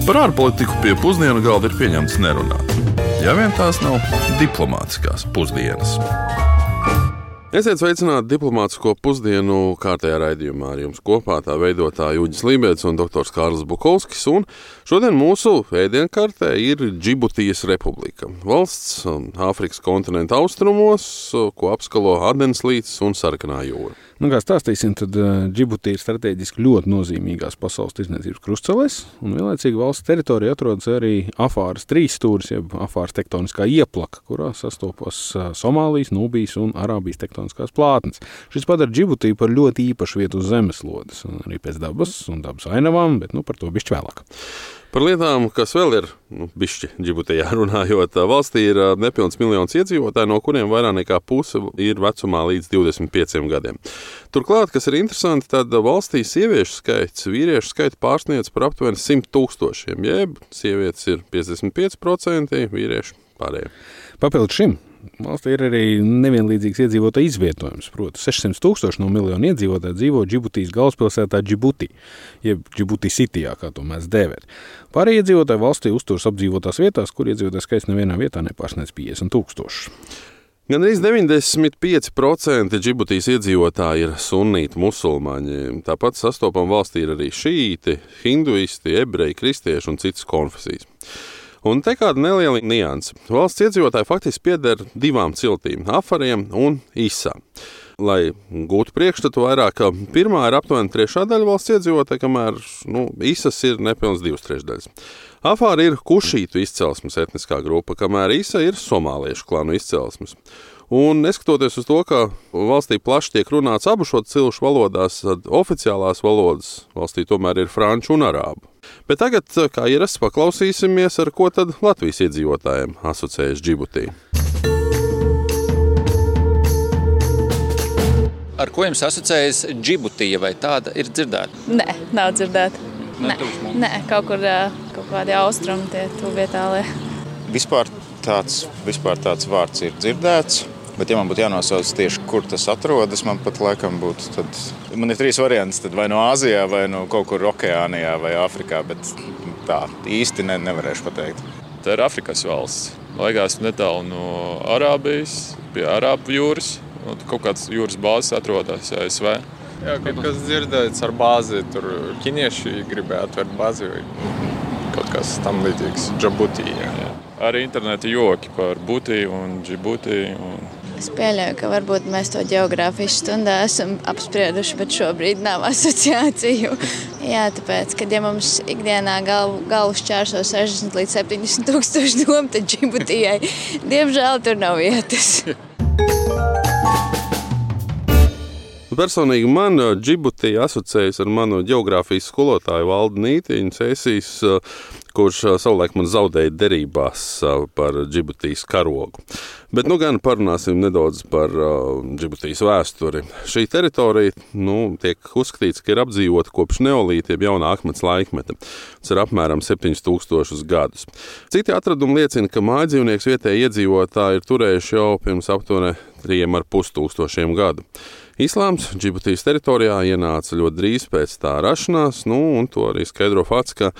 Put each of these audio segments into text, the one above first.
Par ārpolitiku pie pusdienu galda ir pieņemts nerunāt. Ja vien tās nav diplomātiskās pusdienas. Esiet sveicināti diplomātisko pusdienu kārtējā raidījumā. Ar jums kopā tā veidotāja Uģis Lībēds un doktors Kārlis Bukovskis. Un šodien mūsu ēdienkartē ir Džibutijas republika. Valsts Āfrikas kontinenta austrumos, ko apskalo Adens līcis un Sarkanā jūra. Kā stāstīsim, tad Džibutija ir strateģiski ļoti nozīmīgās pasaules tirdzniecības krustcelēs, un vienlaicīgi valsts teritorija atrodas arī Afāras trīsstūris, jeb Afāras tektoniskā ieplaka, kurā sastopas Somālijas, Nubijas un Arābijas tektoniskās plātnes. Šis padara Džibutiju par ļoti īpašu vietu uz zemeslodes, arī pēc dabas un dabas ainavām, bet par to bišķi vēlāk. Par lietām, kas vēl ir bišķi Džibutijā runājot, valstī ir nepilns miljons iedzīvotāji, no kuriem vairāk nekā puse ir vecumā līdz 25 gadiem. Turklāt, kas ir interesanti, tad valstī sieviešu skaits, vīriešu skaits pārsniedz par aptuveni 100 000, jeb sievietes ir 55%, vīrieši pārējie. Papildus šim valstī ir arī nevienlīdzīgs iedzīvotāju izvietojums. Proti, 600 000 no miljonu iedzīvotāju dzīvo Džibutijas galvaspilsētā Džibuti, jeb Džibuti Citijā, kā to mēs dēvēt. Pārējie iedzīvotāji valstī uzturas apdzīvotās vietās, kur iedzīvotāju skaits nevienā vietā nepārsniedz 50 000. Gan arī 95% Džibutijas iedzīvotāji ir sunīti musulmaņi. Tāpat sastopam valstī ir arī šīti, hinduisti, ebreji, kristieši un citas konfesijas. Un te kāda neliela nianse. Valsts iedzīvotāji faktiski pieder divām ciltīm – Afariem un Isām. Lai gūtu priekšstatu vairāk, pirmā ir aptuveni trešā daļa valsts iedzīvotāji, kamēr Isas ir nepilns 2/3. Afāri ir kušītu izcelsmes etniskā grupa, kamēr Isa ir somāliešu klanu izcelsmes. Un neskatoties uz to, ka valstī plaši tiek runāts abu šo cilšu valodās, tad oficiālās valodas valstī tomēr ir franču un arābu. Bet tagad, kā ierasts, paklausīsimies, ar ko tad Latvijas iedzīvotājiem asociējas Džibutija. Ar ko jums asociējas Džibutija, vai tāda ir dzirdēta? Nē, nav dzirdēta. Nē, kaut kādi austrumi tie tuvietālie. Vispār tāds vārds ir dzirdēts, bet ja man būtu jānosauc tieši, kur tas atrodas, man pat laikam būtu, tad man ir 3 variants, tad vai no Āzijā, vai no kaut kur Okeānijā vai Āfrikā, bet tā īsti nevarēšu pateikt. Tā ir Afrikas valsts. Laikās netālu no Arābijas, pie Arābu jūras, un kaut kāds jūras bāzes atrodas ASV. Jā, kaut kas dzirdēts ar bāzi, tur ķinieši gribēja atvērt bāzi vai kaut kas tam līdzīgs Džibutijā. Arī interneta joki par Butiju un Džibutiju. Es pieļauju, ka varbūt mēs to ģeogrāfijas stundā esam apsprieduši, bet šobrīd nav asociāciju. Jā, tāpēc, kad ja mums ikdienā galvu šķērso 60 līdz 70 000 domu, tad Džibutijai, diemžēl, tur nav vietas. Personīgi man Džibutija asociējas ar manu ģeogrāfijas skolotāju Valdu Nītiņu Cēsīs, kurš savulaik man zaudēja derībās par Džibutijas karogu. Bet gan parunāsim nedaudz par Džibutijas vēsturi. Šī teritorija tiek uzskatīts, ka ir apdzīvota kopš neolīta, jeb jaunā akmens laikmeta. Tas ir apmēram 7000 gadus. Citi atradumi liecina, ka mājdzīvnieks vietēji iedzīvotāji ir turējuši jau pirms aptuveni 3500 gadu. Islāms Džibutijas teritorijā ienāca ļoti drīz pēc tā rašanās, un to arī skaidro fakts, ka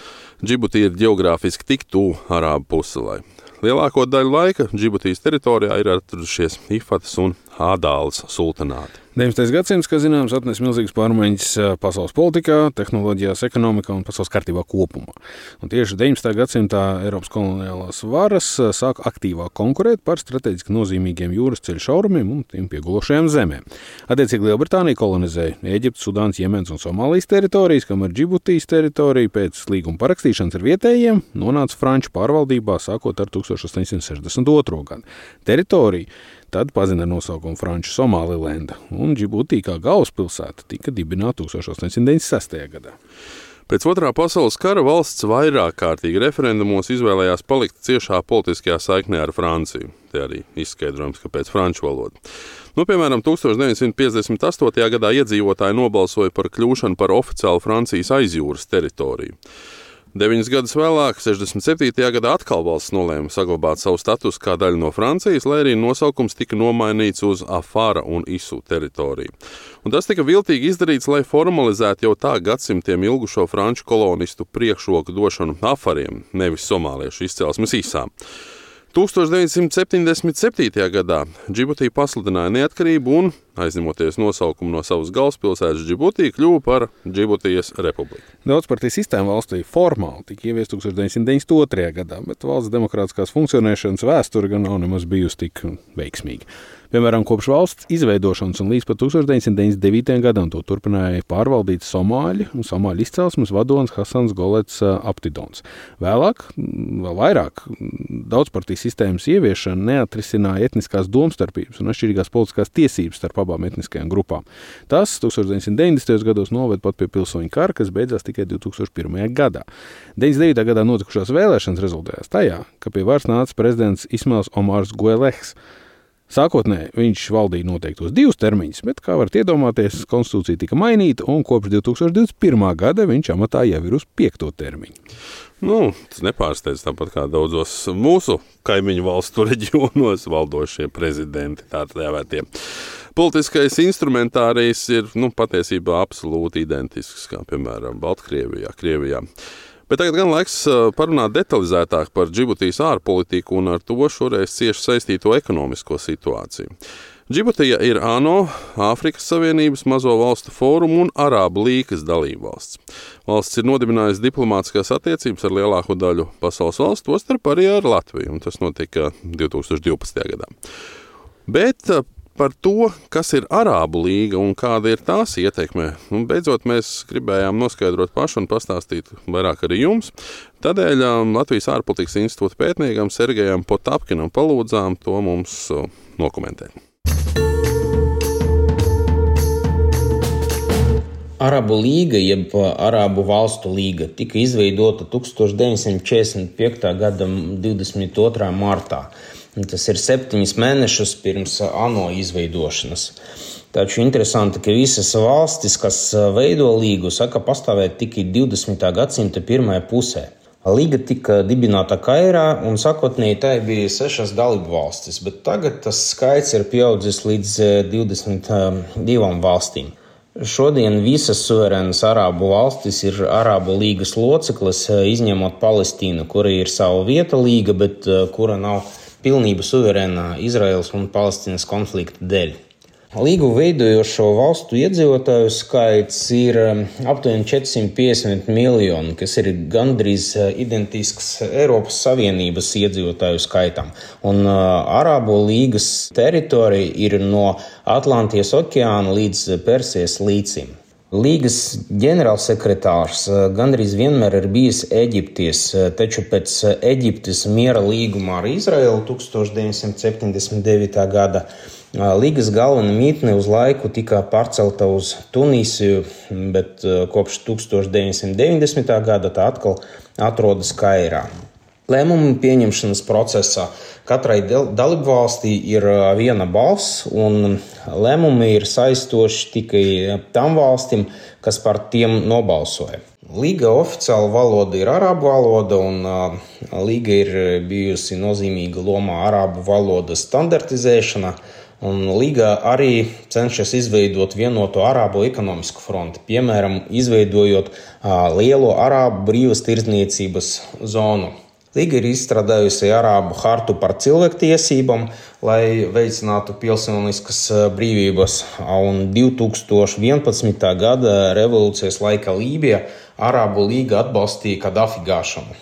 Džibutija ir ģeogrāfiski tik tuvu Arābu puselai. Lielāko daļu laika Džibutijas teritorijā ir atradušies Ifatas un Ādāles sultanāti. 19. gadsimts, kā zināms, atnes milzīgas pārmaiņas pasaules politikā, tehnoloģijās, ekonomikā un pasaules kārtībā kopumā. Un tieši 19. gadsimtā Eiropas koloniālās varas sāk aktīvāk konkurēt par strateģiski nozīmīgiem jūras ceļu šaurumiem un tiem piegulošajām zemēm. Attiecīgi Lielbritānija kolonizēja Ēģiptes, Sudānas, Jemens un Somālijas teritorijas, kamēr Džibutijas teritorija pēc līguma parakstīšanas ar vietējiem nonāca franču pārvaldībā sākot ar 1862. gadu. Teritorija tad pazina ar nosaukumu Franču Somālilenda, un Džibutija kā galvaspilsēta tika dibināta 1896. gadā. Pēc Otrā pasaules kara valsts vairāk kārtīgi referendumos izvēlējās palikt ciešā politiskajā saiknē ar Franciju. Te arī izskaidrojums, kāpēc franču valoda. Piemēram, 1958. gadā iedzīvotāji nobalsoja par kļūšanu par oficiālu Francijas aizjūras teritoriju. 9 gadus vēlāk, 67. gadā, atkal valsts nolēma saglabāt savu statusu kā daļu no Francijas, lai arī nosaukums tika nomainīts uz Afara un Isu teritoriju. Un tas tika viltīgi izdarīts, lai formalizētu jau tā gadsimtiem ilgušo franču kolonistu priekšroku došanu afariem, nevis somāliešu izcelsmes Isām. 1977. gadā Džibutī pasludināja neatkarību un, aizņemoties nosaukumu no savas galvaspilsētas Džibutī, kļuva par Džibutijas republiku. Daudzpartiju sistēma valstī formāli tika ieviesta 1992. gadā, bet valsts demokrātiskās funkcionēšanas vēsture gan nav nemaz bijusi tik veiksmīga. Piemēram, kopš valsts izveidošanas un līdz pat 1999. gadam to turpināja pārvaldīt somāļi un somāļu izcelsmes vadonis Hasans Golets Aptidons. Vēlāk, vēl vairāk, daudzpartiju sistēmas ieviešana neatrisināja etniskās domstarpības un atšķirīgās politiskās tiesības starp abām etniskajām grupām. Tas 1990. gados noved pat pie pilsoņu kara, kas beidzās tikai 2001. gadā. 99. gadā notikušās vēlēšanas rezultējās tajā, ka pie varas nāca prezidents Ismails Omars Guellehs. Sākotnēji viņš valdīja noteiktos 2 termiņus, bet, kā varat iedomāties, konstitūcija tika mainīta un kopš 2021. gada viņš amatā jau ir uz 5. termiņu. Tas nepārsteidz tāpat kā daudzos mūsu kaimiņu valstu reģionos valdošie prezidenti, tā dēvētie. Politiskais instrumentārijs ir patiesībā absolūti identisks, kā piemēram Baltkrievijā, Krievijā. Bet tagad gan laiks parunāt detalizētāk par Džibutijas ārpolitiku un ar to šoreiz cieši saistīto ekonomisko situāciju. Džibutija ir ANO, Āfrikas Savienības, Mazo valstu fórumu un Arābu līgas dalībvalsts. Valsts ir nodibinājusi diplomātiskās attiecības ar lielāko daļu pasaules valstu, tostarp arī ar Latviju, un tas notika 2012. gadā. Bet par to, kas ir Arābu līga un kāda ir tās ietekme, beidzot mēs gribējām noskaidrot paši un pastāstīt vairāk arī jums. Tādēļ Latvijas ārpolitikas institūta pētniekam Sergejam Potapkinam palūdzām to mums nokomentēt. Arābu līga, jeb Arābu valstu līga, tika izveidota 1945. gada 22. martā. Tas ir 7 mēnešus pirms ANO izveidošanas. Taču interesanti, ka visas valstis, kas veido līgu, saka pastāvēt tikai 20. gadsimta pirmajā pusē. Līga tika dibināta Kairā un sākotnēji tai bija 6 dalību valstis, bet tagad tas skaits ir pieaudzis līdz 22 valstīm. Šodien visas suverēnas Arābu valstis ir Arābu līgas loceklis, izņemot Palestīnu, kura ir sava vieta līga, bet kura nav pilnība suverēnā Izraēlas un Palestīnas konflikta dēļ. Līgu veidojošo valstu iedzīvotāju skaits ir aptuveni 450 miljoni, kas ir gandrīz identisks Eiropas Savienības iedzīvotāju skaitam. Un Arābu līgas teritorija ir no Atlantijas okeāna līdz Persijas līcim. Līgas ģenerālsekretārs gandrīz vienmēr ir bijis Eģiptis, taču pēc Eģiptes miera līguma ar Izraēlu 1979. gada līgas galvenā mītne uz laiku tika pārcelta uz Tunīsiju, bet kopš 1990. gada tā atkal atrodas Kairā. Lēmumu pieņemšanas procesā katrai dalībvalstī ir viena balss, un lēmumi ir saistoši tikai tam valstīm, kas par tiem nobalsoja. Līga oficiāla valoda ir arābu valoda, un līga ir bijusi nozīmīga lomā arābu valodas standartizēšanā. Un Līga arī cenšas izveidot vienoto arābu ekonomisku fronti, piemēram, izveidojot lielo arābu brīvas tirdzniecības zonu. Līga ir izstrādājusi arābu hartu par cilvēktiesībām, lai veicinātu pilsoniskas brīvības, un 2011. gada revolūcijas laika Lībijā Arābu līga atbalstīja Kadafi gāšanu.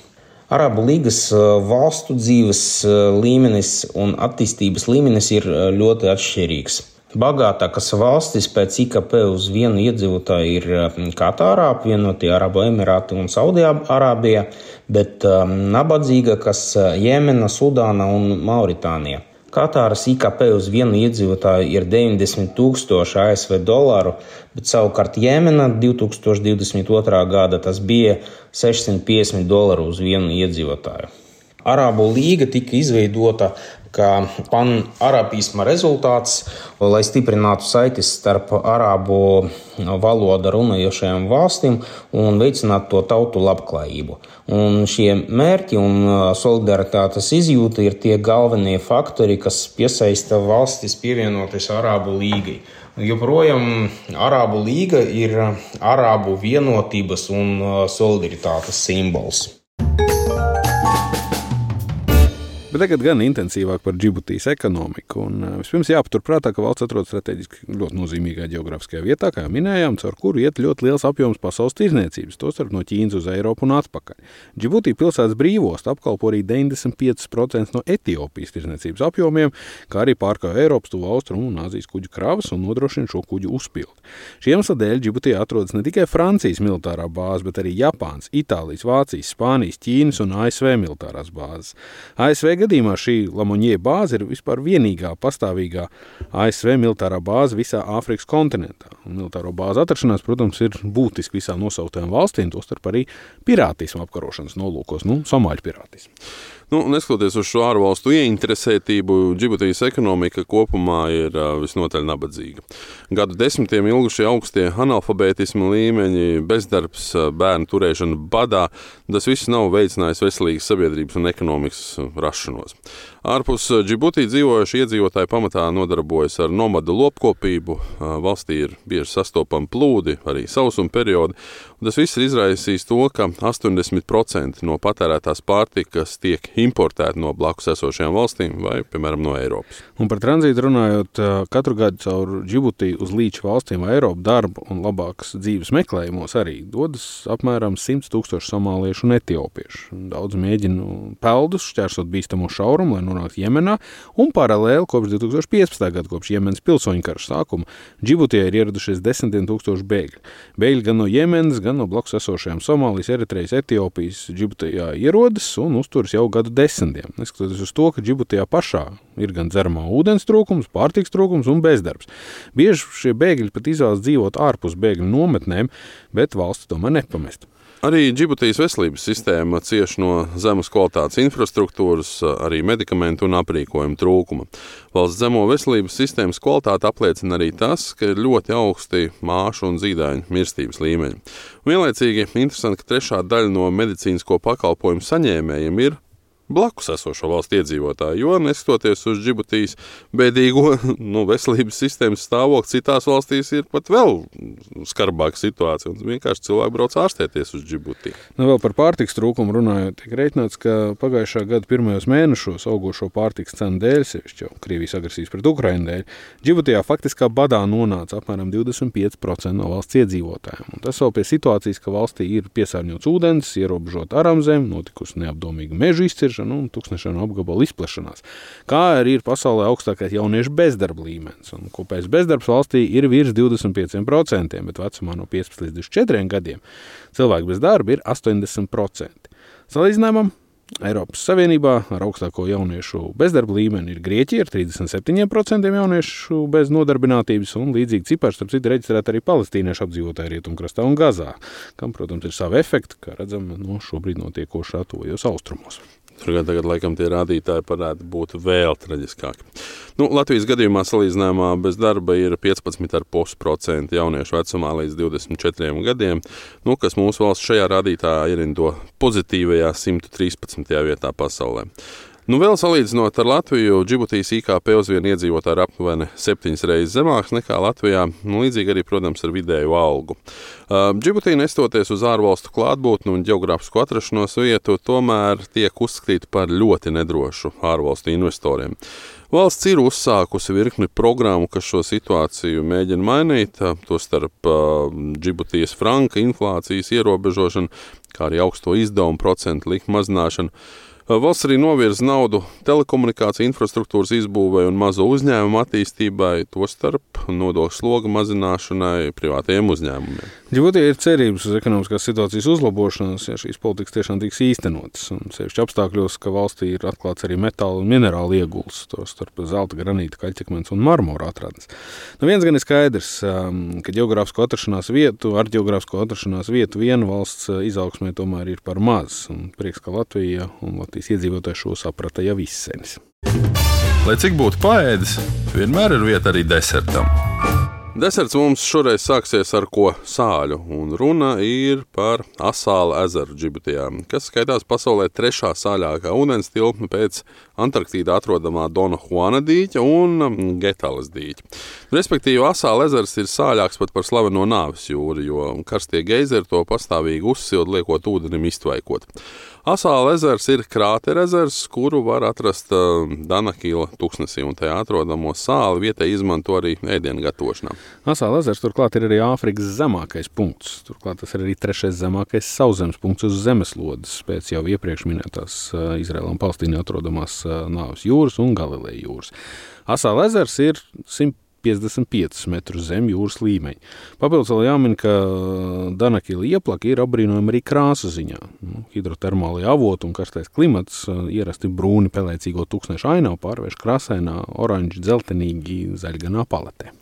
Arābu līgas valstu dzīves līmenis un attīstības līmenis ir ļoti atšķirīgs. Bagātākas valstis pēc IKP uz vienu iedzīvotāju ir Katārā, apvienotie Arābu Emirāti un Saudi-Arābija, bet nabadzīgākas Jemena, Sudāna un Mauritānija. Katāras IKP uz vienu iedzīvotāju ir 90,000 ASV dolāru, bet savukārt Jemena 2022. gada tas bija $650 uz vienu iedzīvotāju. Arābu līga tika izveidota kā pan-arabisma rezultāts, lai stiprinātu saites starp arābu valoda runājošajām valstīm un veicinātu to tautu labklājību. Un šie mērķi un solidaritātes izjūta ir tie galvenie faktori, kas piesaista valstis pievienoties Arābu līgai. Joprojām Arābu līga ir arābu vienotības un solidaritātes simbols. Bet tagad gan intensīvāk par Džibutijas ekonomiku. Vispirms jāpaturprātā, ka valsts atrodas strateģiski ļoti nozīmīgā geogrāfiskajā vietā, kā minējām, caur kuru iet ļoti liels apjoms pasaules tirdzniecības, tostarp no Ķīnas uz Eiropu un atpakaļ. Džibutija pilsētas brīvosta apkalpo arī 95% no Etiopijas tirdzniecības apjomiem, kā arī pārkāja Eiropas, Tuvu Austrumu un Āzijas kuģu kravas un nodrošina šo kuģu uzpildi. Šī iemesla dēļ Džibutijā atrodas ne tikai Francijas militārā bāze, bet arī Japānas, Itālijas, Vācijas, Spānijas, Ķīnas un ASV militārās bāzes. ASV gadījumā šī Lamonjē bāze ir vispār vienīgā pastāvīgā ASV militārā bāze visā Āfrikas kontinentā. Un militāro bāzu atrašanās, protams, ir būtiski visām nosauktajām valstīm, tostarp arī pirātismu apkarošanas nolūkos, somāļu pirātismu. Neskatoties uz šo ārvalstu ieinteresētību, Džibutijas ekonomika kopumā ir visnotaļ nabadzīga. Gadu desmitiem ilgušie augstie analfabētisma līmeņi, bezdarbs, bērnu turēšana badā, tas viss nav veicinājis veselīgas sabiedrības un ekonomikas rašanos. Ārpus Džibutī dzīvojuši iedzīvotāji pamatā nodarbojas ar nomadu lopkopību, valstī ir bieži sastopami plūdi, arī sausuma periodi, un tas viss ir izraisījis to, ka 80% no patērētās pārtikas tiek importēti no blakus esošajām valstīm vai, piemēram, no Eiropas. Un par tranzītu runājot, katru gadu caur Džibutiju uz līča valstīm vai Eiropu darbu un labākas dzīves meklējumos arī dodas apmēram 100 000 somāliešu un etiopiešu. Daudz mēģina peldus šķērsot bīstamo šaurumu, lai nonāktu Jemenā, un paralēli kopš 2015. gada, kopš Jemenas pilsoņu kara sākuma, Džibutijā ir ieradušies 10 000 bēgļi. Bēgļi gan no Jemenas, gan no blakus esošajām Somālijas, Eritrejas, Etiopijas Džibutijā ierodas un uzturas jau gadu desmitiem. Neskatoties uz to, ka Džibutijā pašā ir gan dzeramā ūdens trūkums, pārtiks trūkums un bezdarbs. Bieži šie bēgļi pat izvēlas dzīvot ārpus bēgļu nometnēm, bet valsti tomēr nepamest. Arī Džibutijas veselības sistēma cieš no zemes kvalitātes infrastruktūras, arī medikamentu un aprīkojuma trūkuma. Valsts zemo veselības sistēmas kvalitāti apliecina arī tas, ka ir ļoti augsti māšu un zīdaiņu mirstības līmeņi. Vienlaicīgi interesanti, ka trešā daļa no medicīnisko pakalpojumu saņēmējiem ir blakus esošo valstu iedzīvotāji, jo neskatoties uz Džibutijas bēdīgo veselības sistēmas stāvokli, citās valstīs ir pat vēl skarbāka situācija, un vienkārši cilvēki brauc ārstēties uz Džibutiju. Vēl par pārtiks trūkumu runājot, tiek reiķināts, ka pagājušā gada pirmajos mēnešos augošo pārtiks cenu dēļ, sevišķi jau Krievijas agresijas pret Ukrainu dēļ, Džibutijā faktiskā badā nonāca apmēram 25% no valsts iedzīvotājiem. Un tas vēl pie situācijas, ka valstī ir piesārņots ūdens, ierobežot aramzem, notikusi neapdomīga mežu izciršana un tūkstnešanu apgabalu izplešanās. Kā arī ir pasaulē augstākais jauniešu bezdarba līmenis. Un kopējais bezdarbs valstī ir virs 25%, bet vecumā no 15 līdz 24 gadiem cilvēku bez darba ir 80%. Salīdzinājumam, Eiropas Savienībā ar augstāko jauniešu bezdarba līmeni ir Grieķija ar 37% jauniešu bez nodarbinātības, un līdzīgi cipari, starp citu, reģistrēti arī palestīniešu apdzīvotāji Rietumkrastā un Gazā, kam, protams, ir savi efekti, kā redzam, šobrīd notiekošā tuvajos austrumos. Tagad, laikam, tie rādītāji varētu būt vēl traģiskāki. Latvijas gadījumā salīdzinājumā bez darba ir 15,5% jauniešu vecumā līdz 24 gadiem, kas mūsu valsts šajā rādītājā ierindo pozitīvajā 113. vietā pasaulē. Vēl salīdzinot ar Latviju, Džibutijas IKP uz vienu iedzīvotāju ir aptuveni 7 reizes zemāks nekā Latvijā, līdzīgi arī, protams, ar vidēju algu. Džibutija, nestoties uz ārvalstu klātbūtni un ģeogrāfisko atrašanos vietu, tomēr tiek uzskatīta par ļoti nedrošu ārvalstu investoriem. Valsts ir uzsākusi virkni programmu, kas šo situāciju mēģina mainīt, tostarp Džibutijas franka inflācijas ierobežošanu, kā arī augsto izdevumu procentu likmu mazināšanu. Valsts arī novirza naudu telekomunikāciju infrastruktūras izbūvei un mazo uzņēmumu attīstībai, tostarp nodokļu sloga mazināšanai privātajiem uzņēmumiem. Džibutijā ir cerības uz ekonomiskās situācijas uzlabošanos, ja šīs politikas tiešām tiks īstenotas. Sevišķi apstākļos, ka valstī ir atklāts arī metāla un minerāla ieguls, tostarp zelta, granīta, kaļķakmens un marmora atradnes. Viens gan ir skaidrs, ka ģeogrāfisko atrašanās vietu viena valsts izaugsmē tomēr ir par maz. Un prieks, ka Latvija un Latvijas Latvijas iedzīvotāji šo saprata jau izsenis. Lai cik būtu paēdis, vienmēr ir vieta arī desertam. Deserts mums šoreiz sāksies ar ko sāļu, un runa ir par Asāla ezeru Džibutijā, kas skaitās pasaulē 3. sāļākā ūdens tilpme pēc Antarktīdā atrodamā Dona Juana dīķa un Getalas dīķa. Respektīvi, Asāla ezers ir sāļāks pat par slaveno Nāves jūru, jo karstie geizeri to pastāvīgi uzsilda, liekot ūdenim iztvaikot. Asāla ezers ir krātera ezers, kuru var atrast Danakila tuksnesī, un tajā atrodamo sāli vietai izmanto arī ēdienu gatavošanā. Asāla ezers turklāt ir arī Āfrikas zemākais punkts. Turklāt tas ir arī 3. zemākais sauszemes punkts uz zemeslodes, pēc jau iepriekš minētās Izraēlā un Palestīnā atrodamās Nāves jūras un Galileja jūras. Asāla ezers ir 155 metrus zem jūras līmeņa. Papildus vēl jāmin, ka Danakila ieplaka ir apbrīnojama arī krāsa ziņā. Hidrotermālie avoti un karstais klimats ierasti brūni pelēcīgo tūkstnešu ainavu pārvērš krāsainā, oranži, dzeltenīgi, zaļganā paletē.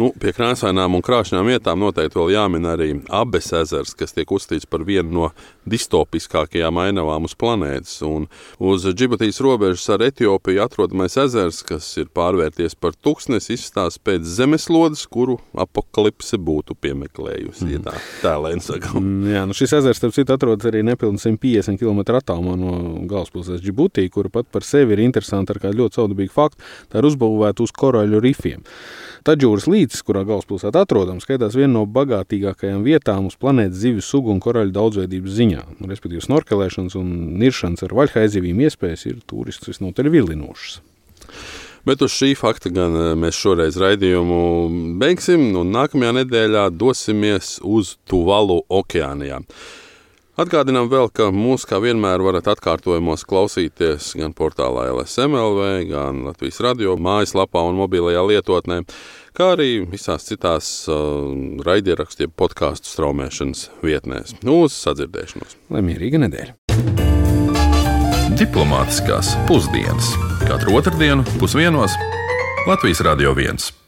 Pie krāsainām un krāšņām vietām noteikti vēl jāmin arī Abes ezers, kas tiek uzskatīts par vienu no distopiskākajām ainavām uz planētas. Un uz Džibutijas robežas ar Etiopiju atrodamais ezers, kas ir pārvērties par tūkstnesi, izstāsta pēc zemeslodes, kuru apokalipse būtu piemeklējusi. Ja tā lēn sakam. Jā, šis ezers, starp citu, atrodas arī nepilni 150 km attālumā no galvaspilsētas Džibutī, kura pat par sevi ir interesanta ar kādu ļoti saudabīgu faktu. Tā ir uzbūvēta uz koraļu rifiem. Tadžūras līcis, kurā galvaspilsēta atrodams, skaitās viena no bagātīgākajām vietām uz planētas zivju sugu un koraļu daudzveidības ziņā. Respektīvi, snorkelēšanas un niršanas ar vaļhaizivīm iespējas ir turistus visnotaļ vilinošas. Bet uz šī fakta gan mēs šoreiz raidījumu beigsim, un nākamajā nedēļā dosimies uz Tuvalu okeānijā. Atgādinām vēl, ka mūs kā vienmēr varat atkārtojumos klausīties gan portālā LSM.LV, gan Latvijas radio mājaslapā un mobilajā lietotnē, kā arī visās citās raidierakstu podcastu straumēšanas vietnēs. Uz sadzirdēšanos. Lai mierīga nedēļa. Diplomātiskās pusdienas. Katru otrdienu 12:00 Latvijas Radio 1.